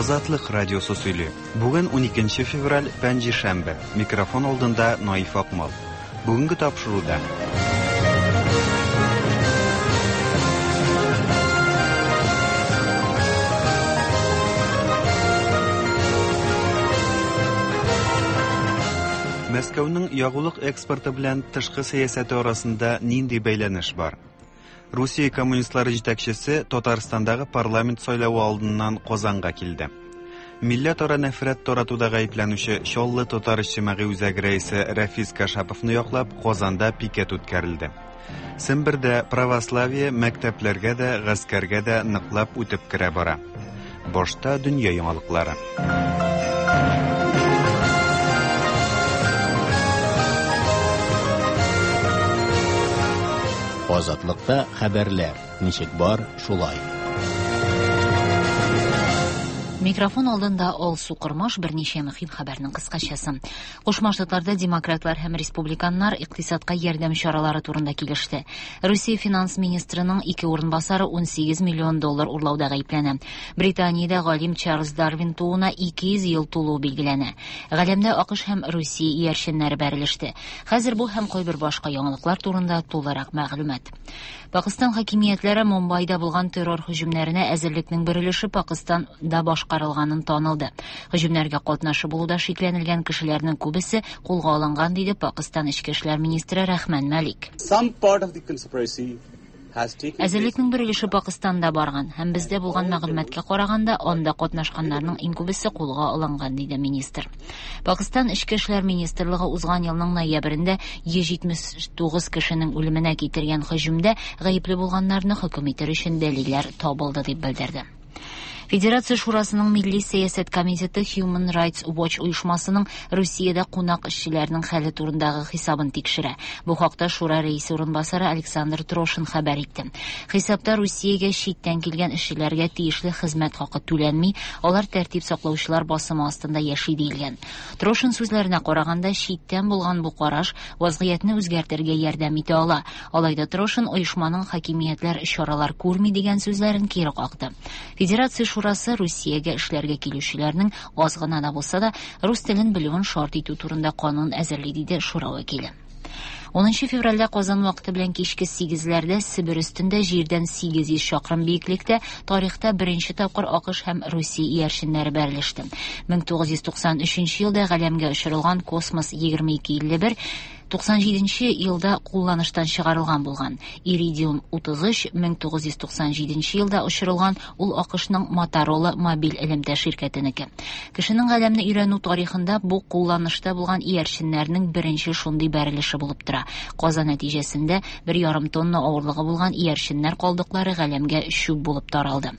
Азатлык радиосы сөйли. Бүген 12 февраль, пәнҗешәмбе. Микрофон алдында Наиф Акмал. Бүгенге тапшыруда. Мәскәүнең ягулык экспорты белән тышкы сәясәте арасында нинди бәйләнеш бар? Русия коммунистлары җитәкчесе Татарстандагы парламент сайлавы алдыннан Казанга килде. Милләтара нәфрәт таратуда гаепләнүче Чаллы татар иҗтимагый үзәге рәисе Рәфис Кашаповны яклап Казанда пикет үткәрелде. Сембердә православие мәктәпләргә дә, гаскәргә дә ныклап үтеп керә бара. Башта дөнья яңалыклары. Азатлыкта хәбәрләр ничек бар, шулай. Микрофон алдында Алсу Кормаш берничә мөһим хәбәрнең кыскачасы. Кушма Штатларда демократлар һәм республиканнар икътисадка ярдәм чаралары турында килеште. Русия финанс министрының ике урынбасары 18 миллион доллар урлауда гаепләнә. Британиядә галим Чарльз Дарвин тууына 200 ел тулуы билгеләнә. Галәмдә АКШ һәм Русия иярченнәре бәрелеште. Хәзер бу һәм кайбер башка яңалыклар турында тулырак мәгълүмат. Пакыстан хакимиятләре Мумбайда булган террор һөҗүмнәренә әзерлекнең бер өлеше Пакыстанда башкарылганын танылды. Һөҗүмнәргә катнашы булуда шикләнелгән кешеләрнең күбесе кулга алынган, диде Пакыстан эчке эшләр министры Рахман Малик. Some part of the conspiracy Әзерлекнең бер өлеше Пакыстанда барган һәм бездә булган мәгълүматка караганда, анда катнашканнарның иң күбесе кулга алынган, диде министр. Пакыстан Эчке эшләр министрлыгы узган елның ноябрендә 179 кешенең үлеменә китергән һөҗүмдә гаепле булганнарны хөкем итер өчен дәлилләр табылды дип белдерде. Федерация Шурасының Милли сәясәт комитеты Human Rights Watch оешмасының Русиядә кунак эшчеләрнең хәле турындагы хисабын тикшерә. Бу хакта Шура рәисе урынбасары Александр Трошин хәбәр итте. Хисапта Русиягә читтән килгән эшчеләргә тиешле хезмәт хакы түләнми, алар тәртип саклаучылар басымы астында яши диелгән. Трошин сүзләренә караганда, читтән булган бу караш вазгыятьне үзгәртергә ярдәм итә ала. Алай да Трошин оешманың хакимиятләр чаралар күрми дигән сүзләрен кире какты. Федерация Шурасы Русиягә эшләргә килүчеләрнең аз гына да булса да рус телен белүен шарт итү турында канун әзерли, диде шура вәкиле. 10 февральдә Казан вакыты белән кичке 8-ләрдә Себер өстендә җирдән 800 чакрым биеклектә тарихта беренче тапкыр АКШ һәм Русия иярченнәре бәрелеште. 1993 елда галәмгә очырылган Космос 2251 97 елда кулланыштан чыгарылган булган. Иридиум 33 1997 елда очырылган, ул АКШның Motorola мобиль элемтә ширкәтенеке. Кешенең галәмне өйрәнү тарихында бу кулланышта булган иярченнәрнең беренче шундый бәрелеше булып тора. Каза нәтиҗәсендә 1,5 тонна авырлыгы булган иярченнәр калдыклары галәмгә чүп булып таралды.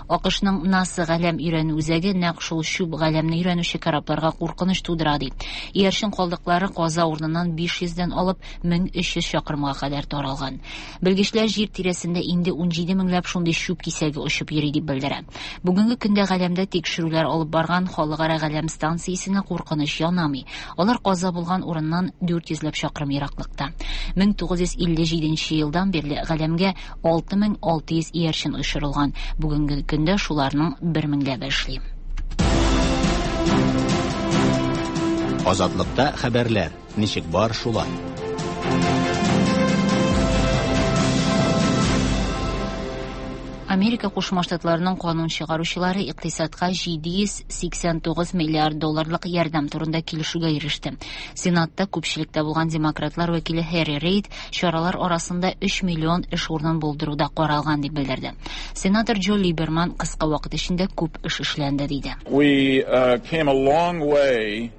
АКШның НАСА галәм өйрәнү үзәге нәкъ шул чүп галәмне өйрәнүче корабларга куркыныч тудыра ди. Иярчен калдыклары каза урыныннан 500дән алып 1300 чакрымга кадәр таралган. Белгечләр җир тирәсендә инде 17 меңләп шундый чүп кисәге очып йөри дип белдерә. Бүгенге көндә галәмдә тикшерүләр алып барган халыкара галәм станциясенә куркыныч янамый. Алар каза булган урыннан 400 ләп чакрым ераклыкта. 1957 елдан бирле галәмгә 6600 иярчен очырылган. Бүгенге көндә шуларның 1 меңләбе эшли. Азатлыкта хәбәрләр ничек бар, шулай. Америка Кушма Штатларының канун чыгаручылары икътисадка 789 миллиард долларлык ярдәм турында килешүгә иреште. Сенатта күпчелектә булган демократлар вәкиле Һәрри Рейд чаралар арасында 3 миллион эш урынын булдыру да каралган дип белдерде. Сенатор Джо Либерман кыска вакыт эчендә күп эш эшләнде диде. We came a long way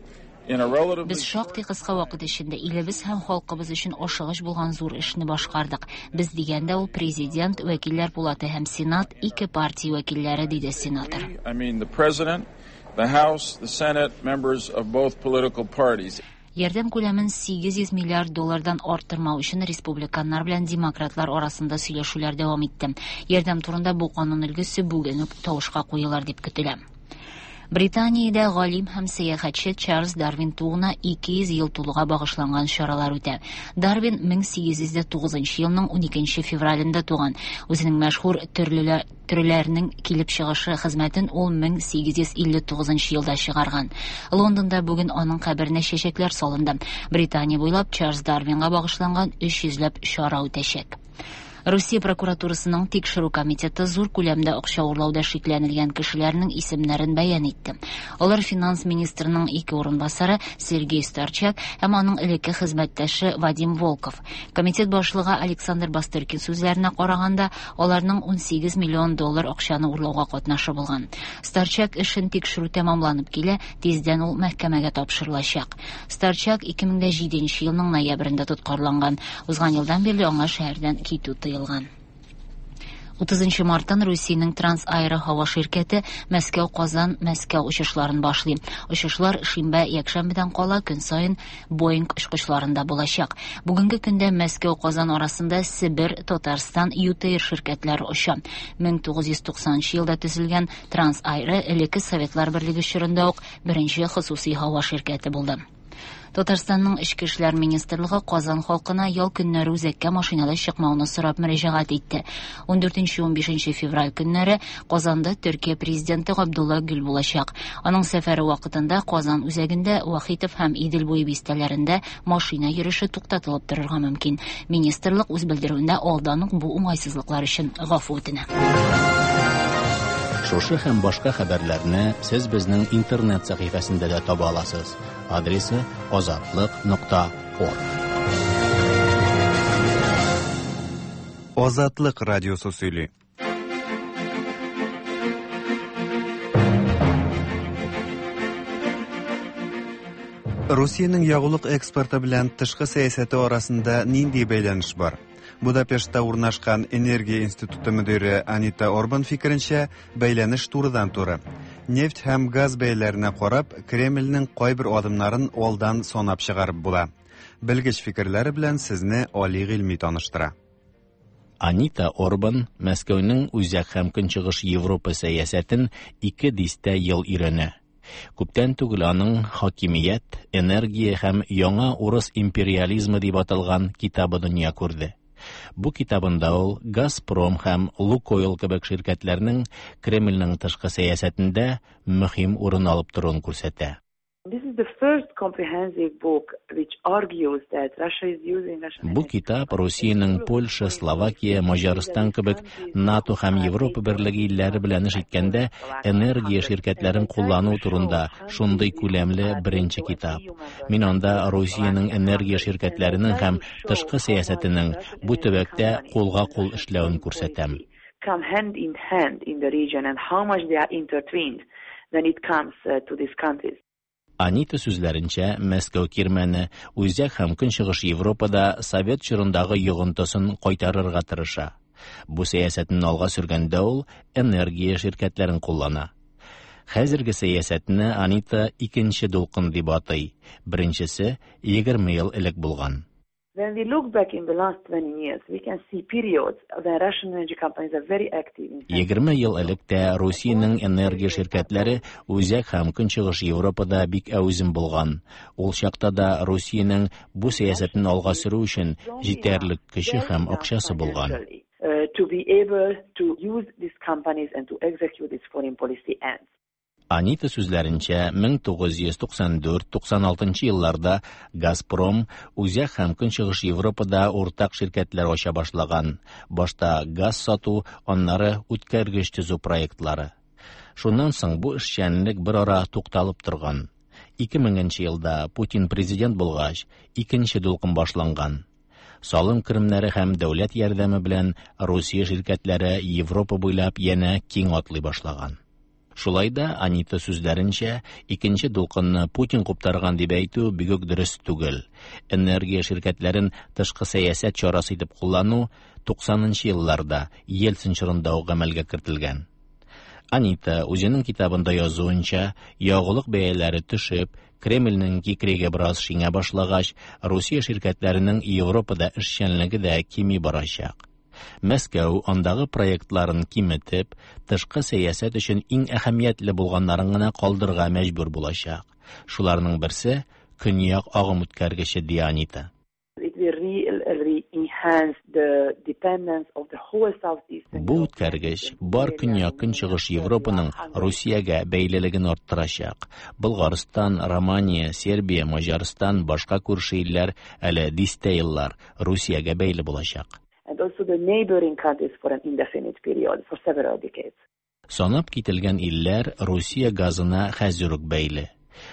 in a relatively Без шактый кыска вакыт эчендә илебез һәм халкыбыз өчен ашыгыч булган зур эшне башкардык. Без дигәндә ул президент, вәкилләр пулаты һәм сенат, ике партия вәкилләре, диде сенатор. I mean the president, the House, the Senate, members of both political parties. Ярдәм күләмен 800 миллиард доллардан арттырмау өчен республиканнар белән демократлар арасында сөйләшүләр дәвам итте. Ярдәм турында бу канун өлгесе бүген үк тавышка куелыр дип көтелә. Британиядә галим һәм сәяхәтче Чарльз Дарвин тууына 200 ел тулуга багышланган чаралар үтә. Дарвин 1809 елның 12 февралендә туган. Үзенең мәшһүр төрлеләр төрләрнең килеп чыгышы хезмәтен ул 1859 елда чыгарган. Лондонда бүген аның каберенә чәчәкләр салынды. Британия буйлап Чарльз Дарвинга багышланган 300 ләп чара үтәчәк. Русия прокуратурасының тикшерү комитеты зур күләмдә акча урлауда шикләнелгән кешеләрнең исемнәрен бәян итте. Алар финанс министрының ике урынбасары Сергей Старчак һәм аның элекке хезмәттәше Вадим Волков. Комитет башлыгы Александр Бастыркин сүзләренә караганда, аларның 18 миллион доллар акчаны урлауга катнашы булган. Старчак эшен тикшерү тәмамланып килә, тиздән ул мәхкәмәгә тапшырылачак. Старчак 2007 елның ноябрендә тоткарланган. Узган елдан бирле аңа шәһәрдән китү тыелган. 30 марттан Русиянең Трансаэро һава ширкәте Мәскәү-Казан, Мәскәү очышларын башлый. Очышлар шимбә, якшәмбедән кала көн саен Боинг очкычларында булачак. Бүгенге көндә Мәскәү-Казан арасында Себер, Татарстан, ЮТэйр ширкәтләре оча. 1990 елда төзелгән Трансаэро элекке Советлар Берлеге чорында ук беренче хосусый һава ширкәте булды. Татарстанның Эчке эшләр министрлыгы Казан халкына ял көннәре үзәккә машинада чыкмауны сорап мөрәҗәгать итте. 14-15 февраль көннәре Казанда Төркия президенты Габдулла Гүл булачак. Аның сәфәре вакытында Казан үзәгендә Вахитов һәм Идел буе бистәләрендә машина йөреше туктатылып торырга мөмкин. Министрлык үз белдерүендә алдан ук бу уңайсызлыклар өчен гафу үтенә. Шушы һәм башка хәбәрләрне сез безнең интернет сәхифәсендә дә таба аласыз. Адресы azatliq.org. Азатлык радиосы сөйли. Русиянең ягулык экспорты белән тышкы сәясәте арасында нинди бәйләнеш бар? Будапештта урнашкан Энергия институты мөдире Анита Орбан фикеренчә, бәйләнеш турыдан-туры. Нефть һәм газ бәяләренә карап, Кремльнең кайбер адымнарын алдан санап чыгарып була. Белгеч фикерләре белән сезне Али Гыйльми таныштыра. Анита Орбан Мәскәүнең Үзәк һәм Көнчыгыш Европа сәясәтен ике дистә ел өйрәнә. Күптән түгел аның «Хакимият, энергия һәм яңа урыс империализмы» дип аталган китабы дөнья күрде. Бу китабында ул Газпром һәм Лукойл кебек ширкәтләрнең Кремльнең тышкы сәясәтендә мөһим урын алып торуын күрсәтә. This is the first comprehensive book which argues that Russia is using Russian Бу китап Русиянең Польша, Словакия, Маҗарстан кебек НАТО һәм Европа берлеге илләре белән эш иткәндә энергия ширкәтләрен куллану турында шундый күләмле беренче китап. Мин анда Русиянең энергия ширкәтләренең һәм тышкы сәясәтенең бу төбәктә кулга-кул эшләвен күрсәтәм. Come hand in hand in the region and how much they are intertwined when it comes to these countries. Анита сүзләренчә, Мәскәү кирмәне Үзәк һәм Көнчыгыш Европада совет чорындагы йогынтысын кайтарырга тырыша. Бу сәясәтен алга сөргәндә ул энергия ширкәтләрен куллана. Хәзерге сәясәтне Анита икенче дулкын дип атый. Беренчесе 20 ел элек булган. When we look back in the last 20 years, we can see periods when Russian energy companies are very active in 20 ел элек тә Русиянең энергия ширкәтләре Үзәк һәм Көнчыгыш Европада бик әүзем булган. Ул чакта да Русиянең бу сәясәтен алга сөрү өчен җитәрлек көче һәм акчасы булган. To be able to use these companies and to execute its foreign policy ends. Анита сүзләренчә, 1994-96 елларда Газпром Үзәк һәм Көнчыгыш Европада уртак ширкәтләр ача башлаган. Башта газ сату, аннары үткәргеч төзү проектлары. Шуннан соң бу эшчәнлек бер ара тукталып торган. 2000 елда Путин президент булгач, икенче дулкын башланган. Салым керемнәре һәм дәүләт ярдәме белән Русия ширкәтләре Европа буйлап янә киң атлый башлаган. Шулай да Анита сүзләренчә, икенче дулкынны Путин куптарган дип әйтү бик үк дөрес түгел. Энергия ширкәтләрен тышкы сәясәт чарасы итеп куллану 90 елларда Ельцин чорында ук гамәлгә кертелгән. Анита үзенең китабында язуынча, ягулык бәяләре төшеп, Кремльнең кикриге бераз шиңә башлагач, Русия ширкәтләренең Европада эшчәнлеге дә кими барачак. Мәскәү андагы проектларын киметеп, тышкы сәясәт өчен иң әһәмиятле булганнарын гына калдырырга мәҗбүр булачак. Шуларның берсе Көньяк агым үткәргече, ди Анита. It will really enhance the dependence of the whole Southeastern Бу үткәргеч бар Көньяк-Көнчыгыш Европаның Русиягә бәйлелеген арттырачак. Болгарстан, Романия, Сербия, Маҗарстан, башка күрше илләр әле дистә еллар Русиягә бәйле булачак. And also the neighboring countries for an indefinite period, for several decades. Санап кителгән илләр Русия газына хәзер үк бәйле.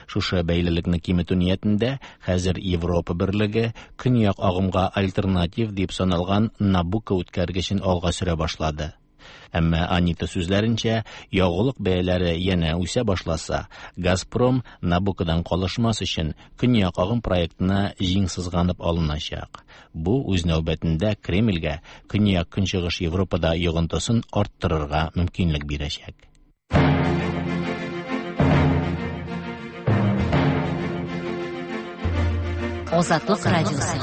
Шушы бәйлелекне киметү ниятендә хәзер Европа Берлеге Көньяк агымга альтернатив дип саналган Набуко үткәргечен алга сөрә башлады. Әмма Анита сүзләренчә, ягулык бәяләре янә үсә башласа, Газпром Набукодан калышмас өчен Көньяк агым проектына җиң сызганып алыначак. Бу үз нәүбәтендә Кремльгә Көньяк-Көнчыгыш Европада йогынтысын арттырырга мөмкинлек бирәчәк. Азатлык радиосы.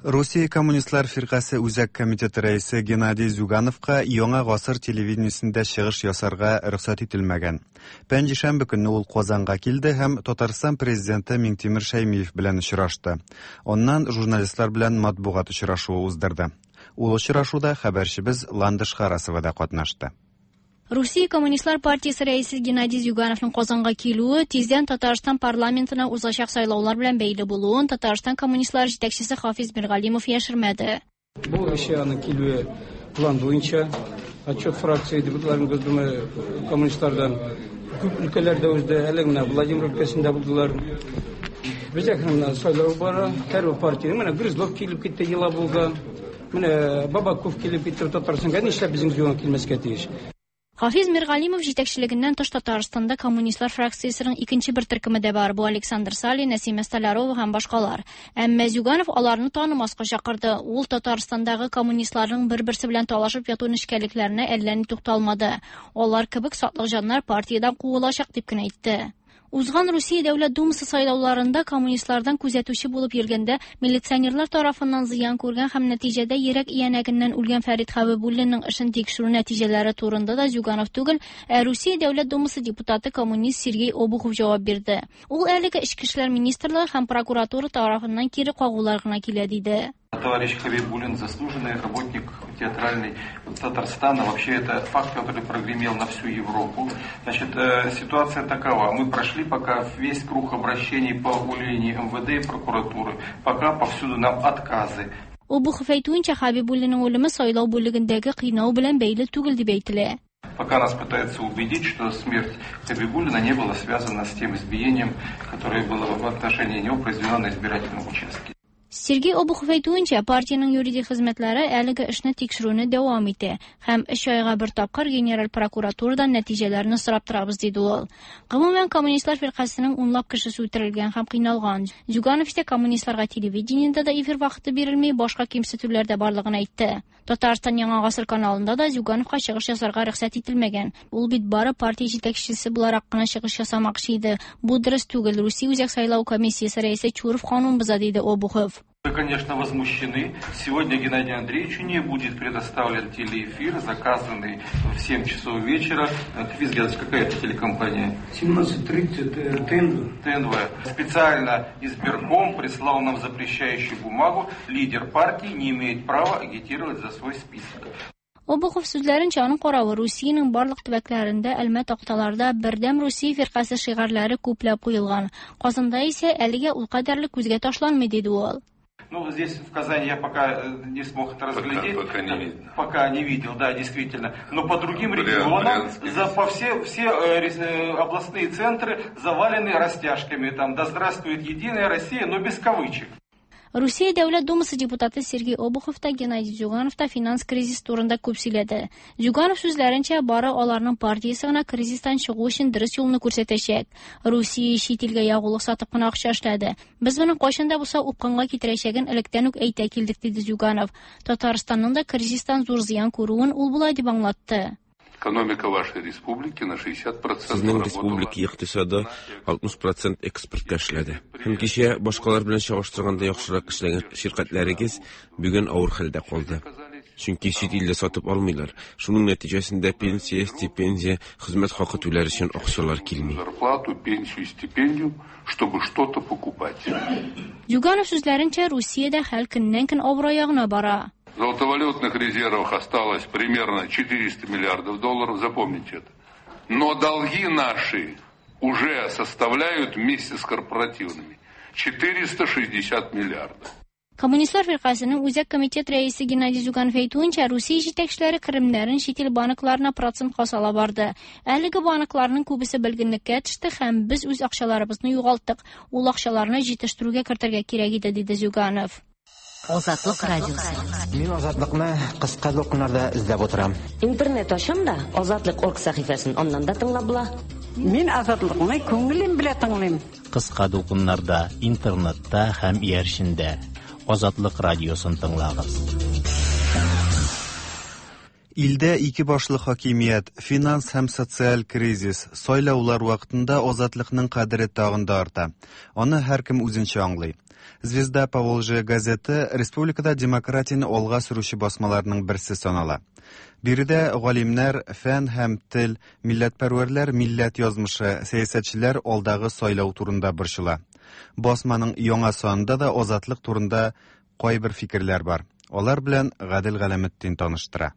Русия Коммунистлар фиркасе Үзәк комитеты рәисе Геннадий Зюгановка Яңа гасыр телевидениесендә чыгыш ясарга рөхсәт ителмәгән. Пәнҗешәмбе көнне ул Казанга килде һәм Татарстан президенты Миңтимер Шәймиев белән очрашты. Аннан журналистлар белән матбугат очрашуы уздырды. Ул очрашуда хәбәрчебез Ландыш Харасова да катнашты. Русия Коммунистлар партиясе рәисе Геннадий Зюгановның Казанга килүе тиздән Татарстан парламентына узачак сайлаулар белән бәйле булуын Татарстан коммунистлар җитәкчесе Хафиз Миргалимов яшермәде. Бу эше аның килүе план буенча. Отчет фракция депутатларын Госдума коммунистлардан күп өлкәләрдә узды. Әле менә Владимир өлкәсендә булдылар. Бездә менә сайлау бара. Һәрбер партия менә Грызлов килеп китте Елабуга. Менә Бабаков килеп китте Татарстанга. Нишләп безнең Зюганов килмәскә тиеш? Хафиз Миргалимов җитәкчелегеннән тыш Татарстанда коммунистлар фракциясенең икенче бер төркеме дә бар. Бу Александр Салин, Нәсимә Столярова һәм башкалар. Әмма Зюганов аларны танымаска чакырды. Ул Татарстандагы коммунистларның бер-берсе белән талашып яту нечкәлекләренә әллә ни тукталмады. Алар кебек сатлык җаннар партиядән куылачак дип кенә әйтте. Узган Русия Дәүләт Думасы сайлауларында коммунистлардан күзәтүче булып йөргәндә милиционерлар тарафыннан зыян күргән һәм нәтиҗәдә йөрәк иянәгеннән үлгән Фәрит Хәбибуллинның эшен тикшерү нәтиҗәләре турында да Зюганов түгел, ә Русия Дәүләт Думасы депутаты коммунист Сергей Обухов җавап бирде. Ул әлеге Эчке эшләр министрлыгы һәм прокуратура тарафыннан кире кагулар гына килә диде. Товарищ Хабибуллин заслуженный работник театральный Татарстана. Вообще это факт, который прогремел на всю Европу. Значит, ситуация такова. Мы прошли пока весь круг обращений по линии МВД и прокуратуры. Пока повсюду нам отказы. Обухов әйтүенчә, Хабибуллинның үлеме сайлау бүлегендәге кыйнау белән бәйле түгел дип әйтелә. Пока нас пытаются убедить, что смерть Хабибуллина не была связана с тем избиением, которое было в отношении него произведено на избирательном участке. Сергей Обухов әйтүенчә, партиянең юридик хезмәтләре әлеге эшне тикшерүне дәвам итә һәм өч айга бер тапкыр генераль прокуратурадан нәтиҗәләрне сорап торабыз, диде ул. Гомумән, коммунистлар фиркасының унлап кешесе үтерелгән һәм кыйналган. Зюганов исә коммунистларга телевидениедә дә эфир вакыты бирелми, башка кимсетүләр дә барлыгын әйтте. Татарстан Яңа гасыр каналында да Зюгановка чыгыш ясарга рөхсәт ителмәгән. Ул бит бары партия җитәкчесе буларак кына чыгыш ясамакчы иде. Бу дөрес түгел. Русия Үзәк сайлау комиссиясе рәисе Чуров канун боза, диде Обухов. Мы, конечно, возмущены. Сегодня Геннадию Андреевичу не будет предоставлен телеэфир, заказанный в 7 часов вечера. Хафиз Геннадьевич, какая это телекомпания? 17:30 ТНВ. ТНВ. Специально избирком прислал нам запрещающую бумагу. Лидер партии не имеет права агитировать за свой список. Обухов сүзләренчә, аның каравы Русиянең барлык төбәкләрендә әлмә такталарда Бердәм Русия фиркасе шигарьләре күпләп куелган. Казанда исә әлегә ул кадәрле күзгә ташланмый, диде ул. Ну, здесь в Казани я пока не смог это разглядеть. Пока не видно. Пока не видел, да, действительно. Но по другим регионам, по все областные центры завалены растяжками. Там, да здравствует Единая Россия, но без кавычек. Русия Дәүләт Думасы депутаты Сергей Обухов та Геннадий Зюганов та финанс кризис турында күп сөйләде. Зюганов сүзләренчә, бары аларның партиясе гына кризистан чыгу өчен дөрес юлны күрсәтәчәк. Русия чит илгә ягулык сатып кына акча эшләде. Без моның кайчан да булса упкынга китерәчәген электән үк әйтә килдек, диде Зюганов. Татарстанның да кризистан зур зыян күрүен ул болай дип аңлатты. Экономика вашей республики на 60% Сезнең республика икътисады 60% экспортка эшләде. Һәм кичә башкалар белән чагыштырганда яхшырак эшләгән ширкәтләрегез бүген авыр хәлдә калды. Чөнки чит илдә сатып алмыйлар. Шуның нәтиҗәсендә пенсия, стипендия, хезмәт хакы түләр өчен акчалар килми. Зарплату, пенсию, стипендию, чтобы что-то покупать. Зюганов сүзләренчә, Русиядә хәл көннән-көн авырая гына бара. В золотовалютных резервах осталось примерно 400 миллиардов долларов, запомните это. Но долги наши уже составляют вместе с корпоративными 460 миллиардов. Коммунистлар фиркасенең Үзәк комитет рәисе Геннадий Зюганов әйтүенчә, Русия җитәкчеләре керемнәрен чит ил банкларына процентка сала барды. Әлеге банкларның күбесе бөлгенлеккә төште һәм без үз акчаларыбызны югалттык. Ул акчаларны җитештерүгә кертергә кирәк иде, диде Зюганов. Азатлык радиосы. Мин Азатлыкны кыска дулкыннарда эзләп утырам. Интернет ачам да, Азатлык орг сәхифәсен аннан да тыңлап була. Мин Азатлыкны күңелем белән тыңлыйм. Кыска дулкыннарда, интернетта һәм иярчендә. Азатлык радиосын тыңлагыз. Илдә ике башлы хакимият, финанс һәм социаль кризис, сайлаулар вакытында азатлыкның кадере тагын да арта. Аны һәркем үзенчә аңлый. Звезда Поволжья газеты республикада демократияне алга сөрүче басмаларның берсе санала. Биредә галимнәр, фән һәм тел, милләтпәрвәрләр милләт язмышы, сәясәтчеләр алдагы сайлау турында борчыла. Басманың яңа санында да азатлык турында кайбер фикерләр бар. Алар белән Гадел Галәметдин таныштыра.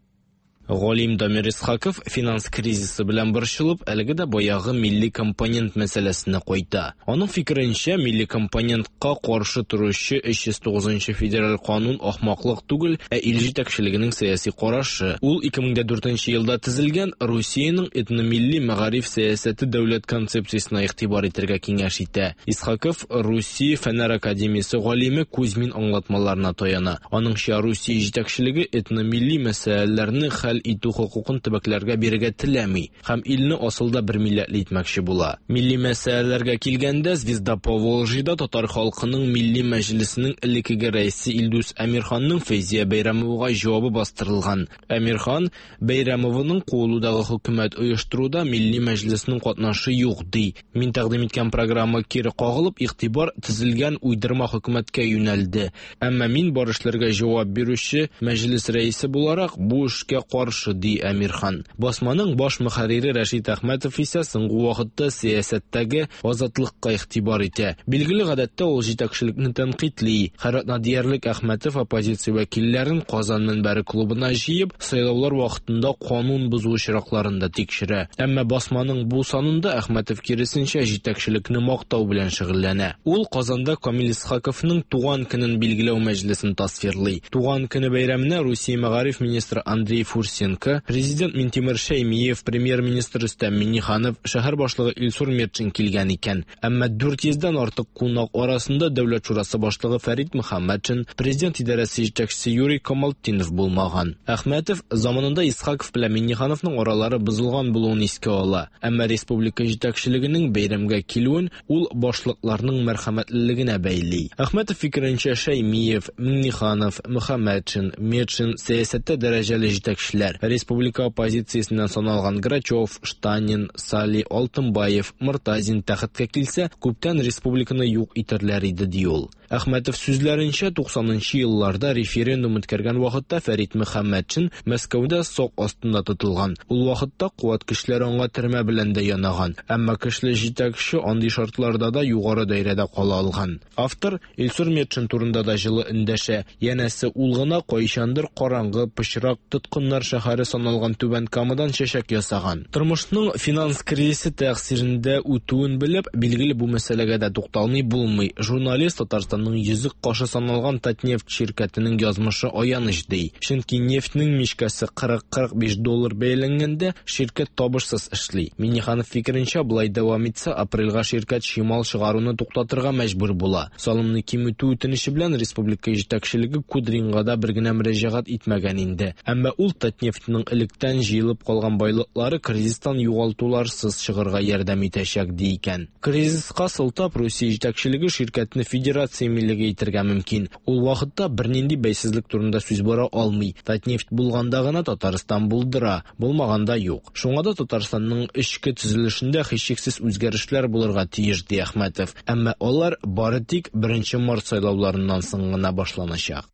Галим Дамир Исхаков финанс кризисы белән борчылып, әлеге дә баягы милли компонент мәсьәләсенә кайта. Аның фикеренчә, милли компонентка каршы торучы 309 федераль канун ахмаклык түгел, ә ил җитәкчелегенең сәяси карашы. Ул 2004 елда төзелгән Русиянең этномилли мәгариф сәясәте дәүләт концепциясенә игътибар итәргә киңәш итә. Исхаков Русия Фәннәр академиясе галиме Кузьмин аңлатмаларына таяна. Аныңча, Русия җитәкчелеге этномилли мәсьәләләрне хәл итү хокукын төбәкләргә бирергә теләми һәм илне асылда бер милләтле итмәкче була. Милли мәсьәләләргә килгәндә, Звезда Поволжьеда татар халкының милли мәҗлесенең элеккеге рәисе Илдус Әмирханның Фәйзия Бәйрәмовага җавабы бастырылган. Әмирхан Бәйрәмованың куылудагы хөкүмәт оештыруда милли мәҗлеснең катнашы юк ди. Мин тәкъдим иткән программа кире кагылып, игътибар төзелгән уйдырма хөкүмәткә юнәлде. Әмма мин бар эшләргә җавап бирүче мәҗлес рәисе буларак бу эшкә каршы, ди Әмирхан. Басманың баш мөхәррире Рәшит Әхмәтов исә соңгы вакытта сәясәттәге азатлыкка игътибар итә. Билгеле, гадәттә ул җитәкчелекне тәнкыйтьли. Һәр атна диярлек Әхмәтов оппозиция вәкилләрен Казан мөнбәре клубына җыеп, сайлаулар вакытында канун бозу очракларын да тикшерә. Әмма басманың бу санында Әхмәтов киресенчә җитәкчелекне мактау белән шөгыльләнә. Ул Казанда Камил Исхаковның туган көнен билгеләү мәҗлесен тасвирлый. Туган көне бәйрәменә Русия мәгариф министры Андрей Фурсенко, президент Минтимер Шәймиев, премьер-министр Рөстәм Миңнеханов, шәһәр башлыгы Илсур Метшин килгән икән. Әмма 400дән артык кунак арасында Дәүләт шурасы башлыгы Фәрит Мөхәммәтшин, президент идарәсе җитәкчесе Юрий Камалтдинов булмаган. Әхмәтов заманында Исхаков белән Миңнехановның аралары бозылган булуын искә ала. Әмма республика җитәкчелегенең бәйрәмгә килүен ул башлыкларның мәрхәмәтлелегенә бәйли. Әхмәтов фикеренчә, Шәймиев, Миңнеханов, Мөхәммәтшин, Метшин сәясәттә дәрәҗәле җитәкчеләр. Республика оппозициясеннән саналган Грачев, Штанин, Сали, Алтынбаев, Мортазин тәхеткә килсә, күптән республиканы юк итәрләр иде, ди ул. Әхмәтов сүзләренчә, 90нчы елларда референдум үткәргән вакытта Фәрит Мөхәммәтшин Мәскәүдә сак астында тотылган. Ул вакытта куәт көчләре аңа төрмә белән дә янаган. Әмма көчле җитәкче андый шартларда да югары даирәдә кала алган. Автор Илсур Метшин турында да җылы эндәшә. Янәсе, ул гына кайчандыр караңгы, пычрак, тоткыннар шәһәре саналган Түбән Камадан чәчәк ясаган. Тормышның финанс кризисы тәэсирендә үтүен белеп, билгеле бу мәсьәләгә дә тукталмый булмый. Журналист Татарстанның йөзек кашы саналган Татнефть ширкәтенең язмышы аяныч ди. Чөнки нефтьнең мичкәсе 40-45 доллар бәяләнгәндә ширкәт табышсыз эшли. Миңнеханов фикеренчә, болай дәвам итсә, апрельгә ширкәт чимал чыгаруны туктатырга мәҗбүр була. Салымны киметү үтенече белән республика җитәкчелеге Кудринга да бер генә мөрәҗәгать итмәгән инде. Әмма ул Татнефтьнең электән җыелып калган байлыклары кризистан югалтуларсыз чыгарга ярдәм итәчәк ди икән. Кризиска сылтап Русия җитәкчелеге ширкәтне федерация милеге итәргә мөмкин. Ул вакытта бернинди бәйсезлек турында сүз бара алмый. Татнефть булганда гына Татарстан булдыра, булмаганда юк. Шуңа да Татарстанның эчке төзелешендә һичшиксез үзгәрешләр булырга тиеш, ди Әхмәтов. Әмма алар бары тик 1 март сайлауларыннан соң гына башланачак.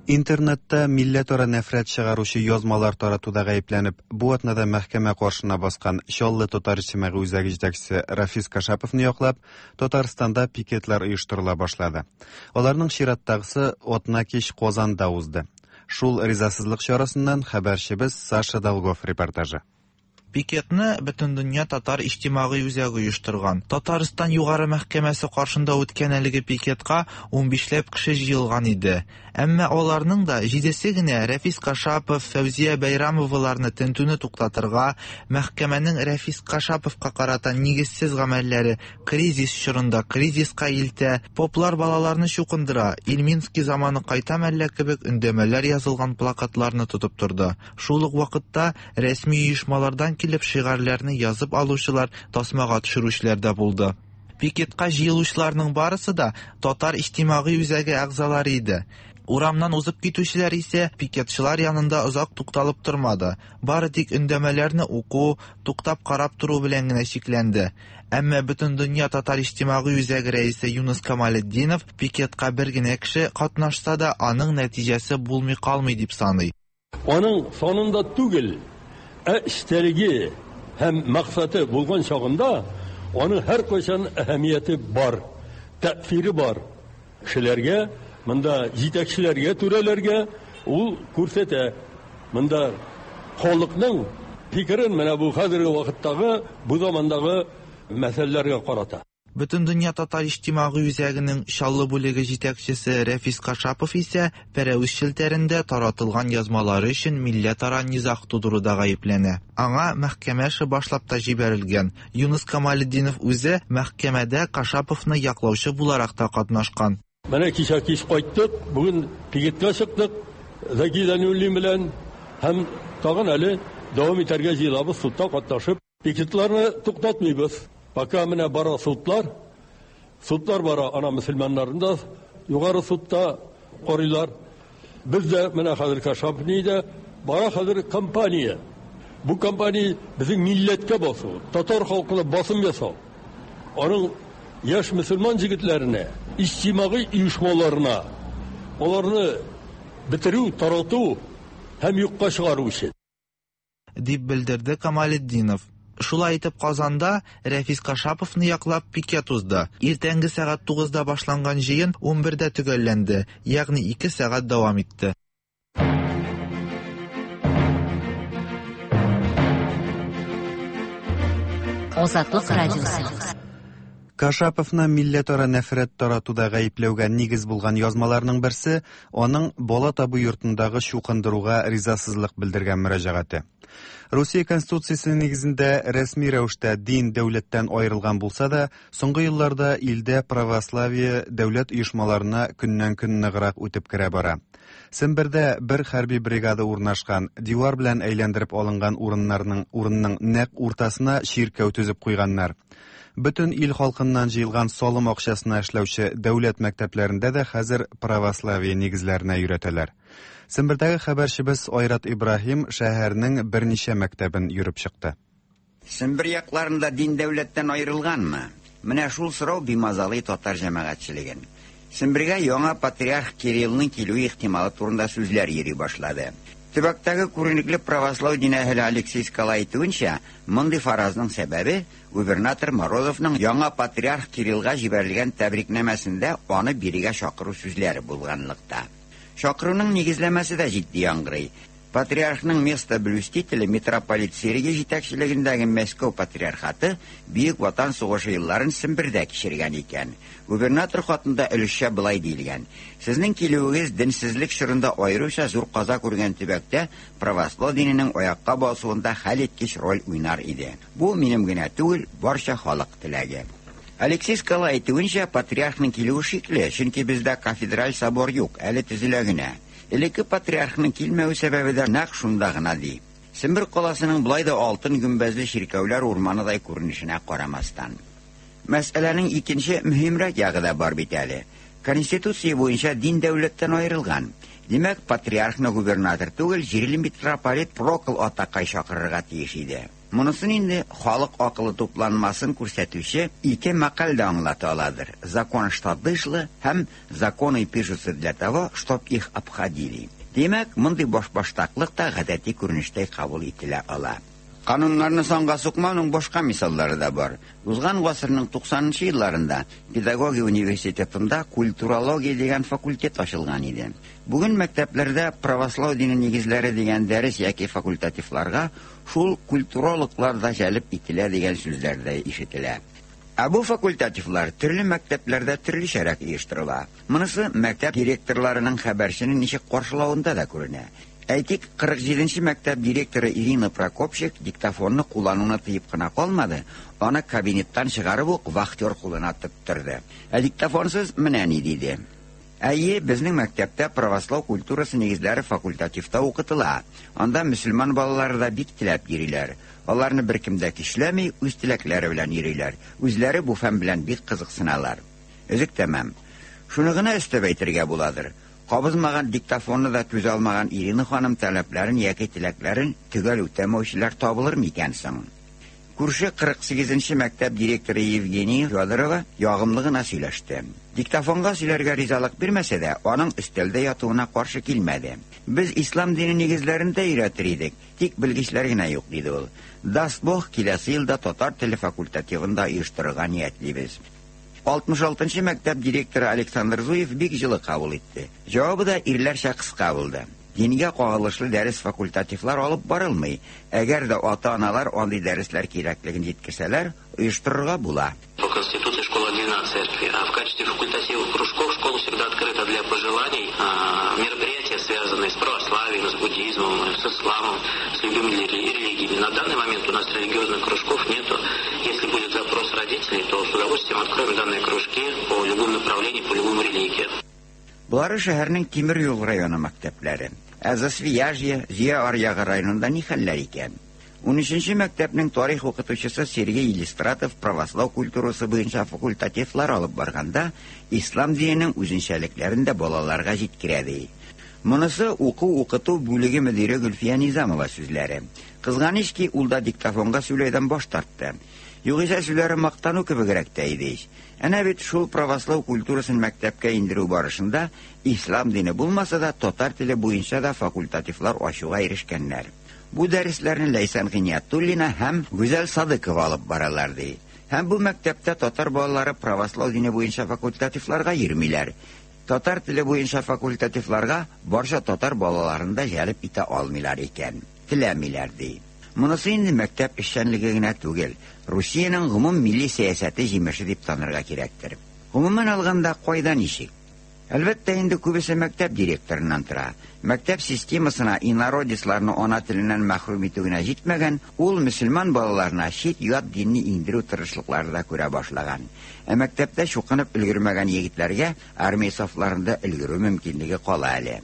Интернетта милләтара нәфрәт чыгаручы язмалар таратуда гаепләнеп, бу атнада мәхкәмә каршына баскан Чаллы татар иҗтимагый үзәге җитәкчесе Рафис Кашаповны яклап, Татарстанда пикетлар оештырыла башлады. Аларның чираттагысы атнакич Казанда узды. Шул ризасызлык чарасыннан хәбәрчебез Саша Долгов репортажы. Пикетны Бөтендөнья татар иҗтимагый үзәге оештырган. Татарстан Югары мәхкәмәсе каршында үткән әлеге пикетка унбишләп кеше җыелган иде. Әмма аларның да җидесе генә Рәфис Кашапов, Фәүзия Бәйрамоваларны тентүне туктатырга, мәхкәмәнең Рәфис Кашаповка карата нигезсез гамәлләре кризис чорында кризиска илтә, поплар балаларны чукындыра, Ильминский заманы кайта мәллә кебек өндәмәләр язылган плакатларны тотып торды. Шул ук вакытта рәсми оешмалардан килеп шигарьләрне язып алучылар, тасмага төшерүчеләр дә булды. Пикетка җыелучыларның барысы да Татар иҗтимагый үзәге әгъзалары иде. Урамнан узып китүчеләр исә пикетчылар янында озак тукталып тормады, бары тик өндәмәләрне уку, туктап карап тору белән генә чикләнде. Әмма Бөтендөнья татар иҗтимагый үзәге рәисе Юныс Камалетдинов пикетка бер генә кеше катнашса да, аның нәтиҗәсе булмый калмый дип саный. Аның санында түгел, ә эчтәлеге һәм максаты булган чагында аның һәркайчан әһәмияте бар, тәэсире бар. Кешеләргә, монда җитәкчеләргә, түрәләргә ул күрсәтә. Монда халыкның фикерен менә бу хәзерге вакыттагы, бу замандагы мәсьәләләргә карата. Бөтендөнья татар иҗтимагый үзәгенең Чаллы бүлеге җитәкчесе Рәфис Кашапов исә пәрәвез челтәрендә таратылган язмалары өчен милләтара низаг тудыруда гаепләнә. Аңа мәхкәмә эше башлап та җибәрелгән. Юныс Камалетдинов үзе мәхкәмәдә Кашаповны яклаучы буларак та катнашкан. Менә кичә кич кайттык, бүген пикетка чыктык Зәки Зәйнуллин белән һәм тагын әле дәвам итәргә җыелабыз судта катнашып. Пикетларны туктатмыйбыз. Пока менә бара судлар, судлар бара, ана мөселманнарны да югары судта карыйлар. Без дә менә хәзер Кашапов дә бара хәзер кампания. Бу кампания безнең милләткә басу, татар халкына басым ясау. Аның яшь мөселман җегетләренә, иҗтимагый оешмаларына аларны бетерү, тарату һәм юкка чыгару өчен. Дип белдерде Камалетдинов. Шулай итеп Казанда Рәфис Кашаповны яклап пикет узды. Иртәнге сәгать 9-да башланган җыен 11-дә төгәлләнде, ягъни 2 сәгать дәвам итте. Азатлык радиосы. Кашаповны милләтара нәфрәт таратуда гаепләүгә нигез булган язмаларның берсе аның бала табу йортындагы чукындыруга ризасызлык белдергән мөрәҗәгате. Русия Конституциясе нигезендә рәсми рәвештә дин дәүләттән аерылган булса да, соңгы елларда илдә православие дәүләт оешмаларына көннән-көн ныграк үтеп керә бара. Сембердә бер хәрби бригада урнашкан, дивар белән әйләндереп алынган урыннарның урынның нәкъ уртасына чиркәү төзеп куйганнар. Бөтен ил халкыннан җыелган салым акчасына эшләүче дәүләт мәктәпләрендә дә хәзер православие нигезләренә өйрәтәләр. Сембердәге хәбәрчебез Айрат Ибраһим шәһәрнең берничә мәктәбен йөреп чыкты. Сембер якларында дин дәүләттән аерылганмы? Менә шул сорау бимазалый татар җәмәгатьчелеген. Сембергә яңа патриарх Кириллның килүе ихтималы турында сүзләр йөри башлады. Төбәктәге күренекле православ дин әһеле Алексей Скала әйтүенчә, мондый фаразның сәбәбе губернатор Морозовның яңа патриарх Кириллга җибәрелгән тәбрикнамәсендә аны бирегә чакыру сүзләре булганлыкта. Чакыруның нигезләмәсе дә җитди яңгырый. Патриархның место блюстителе митрополит Сергий җитәкчелегендәге Мәскәү патриархаты Бөек Ватан сугышы елларын Сембердә кичергән икән. Губернатор хатында өлешчә болай диелгән: Сезнең килүегез денсезлек чорында аеруча зур каза күргән төбәктә православ диненең аякка басуында хәлиткеч роль уйнар иде. Бу минем генә түгел, барча халык теләге. Алексей Скала әйтүенчә, патриархның килүе шикле, чөнки бездә кафедраль собор юк, әле төзелә генә. Элекке патриархның килмәве сәбәбе дә нәкъ шунда гына ди. Сембер каласының болай да алтын гөмбәзле чиркәүләр урманыдай күренешенә карамастан. Мәсьәләнең икенче мөһимрәк ягы да бар бит әле. Конституция буенча дин дәүләттән аерылган. Димәк, патриархны губернатор түгел, җирле митрополит Прокол атакай чакырырга тиеш иде. Монысын инде халык акылы тупланмасын күрсәтүче ике мәкаль дә аңлата аладыр: "Закон что дышло" һәм "Законы пишутся для того, чтоб их обходили". Димәк, мондый башбаштаклык та гадәти күренештәй кабул ителә ала. Кануннарны санга сукмауның башка мисаллары да бар. Узган гасырның 90 нчы елларында педагогия университетында культурология дигән факультет ачылган иде. Бүген мәктәпләрдә правослау дине нигезләре дигән дәрес яки факультативларга шул культурологлар да җәлеп ителә дигән сүзләр дә ишетелә. Ә бу факультативлар төрле мәктәпләрдә төрлечәрәк оештырыла. Монысы мәктәп директорларының хәбәрчене ничек каршылавында да күренә. Әйтик, 47 нче мәктәп директоры Ирина Прокопчик диктофонны куллануны тыеп кына калмады, аны кабинеттан чыгарып ук вахтер кулына тоттырды. Ә диктофонсыз менә ни диде. Әйе, безнең мәктәптә правослау культурасы нигезләре факультативта укытыла. Анда мөселман балалары да бик теләп йөриләр. Аларны беркем дә көчләми, үз теләкләре белән йөриләр. Үзләре бу фән белән бик кызыксыналар. Өзек тәмам. Шуны гына өстәп әйтергә буладыр. Кабызмаган диктофонны да түзә алмаган Ирина ханым таләпләрен яки теләкләрен төгәл үтәмәүчеләр табылыр микән соң? Күрше 48 нче мәктәп директоры Евгения Федорова ягымлы гына сөйләште. Диктофонга сөйләргә ризалык бирмәсә дә, аның өстәлдә ятуына каршы килмәде. Без ислам дине нигезләрен дә өйрәтер идек, тик белгечләр генә юк, диде ул. Даст Бог, киләсе елда татар теле факультативын да оештырырга ниятлибез. 66 нчы мәктәп директоры Александр Зуев бик җылы кабул итте. Җавабы да ирләрчә кыска булды. Дингә кагылышлы дәрес факультативлар алып барылмый. Әгәр дә ата-аналар андый дәресләр кирәклеген җиткерсәләр, оештырырга була. По Конституции школа отделена от церкви, а в качестве факультативов кружков школа всегда открыта для пожеланий, мероприятия, связанные с православием, с буддизмом, с исламом, с любыми религиями. На данный момент у нас религиозных кружков нету. Если будет запрос родителей, то с удовольствием откроем данные кружки по любым направлениям, по любым религиям. Болары шәһәрнең тимер юл районы мәктәпләре. Ә Засвияжье, Зөя аръягы районында ни хәлләр икән? Унөченче мәктәпнең тарих укытучысы Сергей Елистратов правослау культурасы буенча факультативлар алып барганда, ислам диненең үзенчәлекләрен дә балаларга җиткерә, ди. Монысы уку-укыту бүлеге мөдире Гөлфия Низамова сүзләре. Кызганыч ки, ул да диктофонга сөйләүдән баш тартты. Югыйсә сүзләре мактану кебегрәк тә иде ич. Әнә бит шул правослау культурасын мәктәпкә индерү барышында ислам дине булмаса да, татар теле буенча да факультативлар ачуга ирешкәннәр. Бу дәресләрне Ләйсән Гыйниятуллина һәм Гүзәл Садыкова алып баралар, ди. Һәм бу мәктәптә татар балалары правослау дине буенча факультативларга йөрмиләр. Татар теле буенча факультативларга барча татар балаларын да җәлеп итә алмыйлар икән. Теләмиләр, ди. Монысы инде мәктәп эшчәнлеге генә түгел, Русиянең гомум милли сәясәте җимеше дип танырга кирәктер. Гомумән алганда, кайда ничек? Әлбәттә инде күбесе мәктәп директорыннан тора. Мәктәп системасына инородецларны ана теленнән мәхрүм итү генә җитмәгән, ул мөселман балаларына чит-ят динне иңдерү тырышлыклары да күрә башлаган. Ә мәктәптә чукынып өлгермәгән егетләргә армия сафларында өлгерү мөмкинлеге кала әле.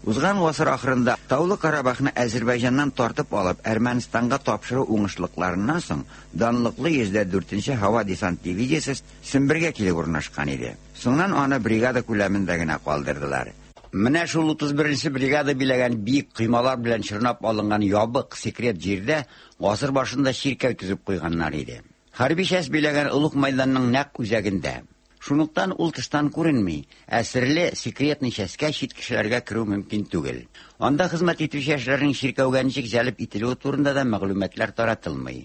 Узган гасыр ахырында Таулы Карабахны Әзербайҗаннан тартып алып Әрмәнстанга тапшыру уңышлыкларыннан соң данлыклы 104 нче һава десант дивизиясе Сембергә килеп урнашкан иде. Соңыннан аны бригада күләмендә генә калдырдылар. Менә шул 31 нче бригада биләгән биек коймалар белән чорнап алынган ябык, секрет җирдә гасыр башында чиркәү төзеп куйганнар иде. Хәрби часть биләгән олуг мәйданның нәкъ үзәгендә. Шунлыктан ул тыштан күренми, ә серле, секретный частькә чит кешеләргә керү мөмкин түгел. Анда хезмәт итүче яшьләрнең чиркәүгә ничек җәлеп ителүе турында да мәгълүматлар таратылмый.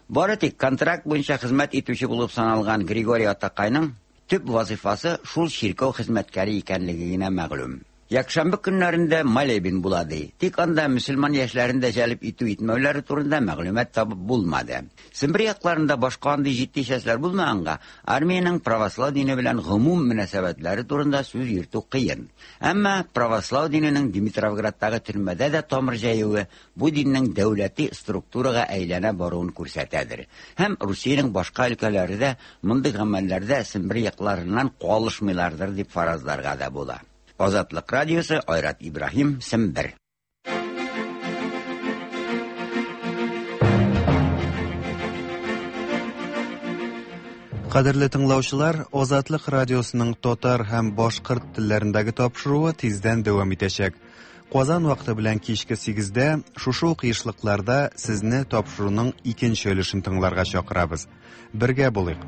Бары тик контракт буенча хезмәт итүче булып саналган Григорий атакайның төп вазыйфасы шул чиркәү хезмәткәре икәнлеге генә мәгълүм. Якшәмбе көннәрендә молебен була ди. Тик анда мөселман яшьләрен дә җәлеп итү-итмәүләре турында мәгълүмат табып булмады. Сембер якларында башка андый җитди частьләр булмаганга, армиянең правослау дине белән гомум мөнәсәбәтләре турында сүз йөртү кыен. Әмма правослау диненең Димитровградтагы төрмәдә дә тамыр җәюе бу диннең дәүләти структурага әйләнә баруын күрсәтәдер. Һәм Русиянең башка өлкәләре дә мондый гамәлләрдә Сембер якларыннан калышмыйлардыр дип фаразларга да була. Азатлык радиосы, Айрат Ибраһим, Сембер. Кадерле тыңлаучылар, Азатлык радиосының татар һәм башкорт телләрендәге тапшыруы тиздән дәвам итәчәк. Казан вакыты белән кичке 8-дә шушы ук ешлыкларда сезне тапшыруның икенче өлешен тыңларга чакырабыз. Бергә булыйк.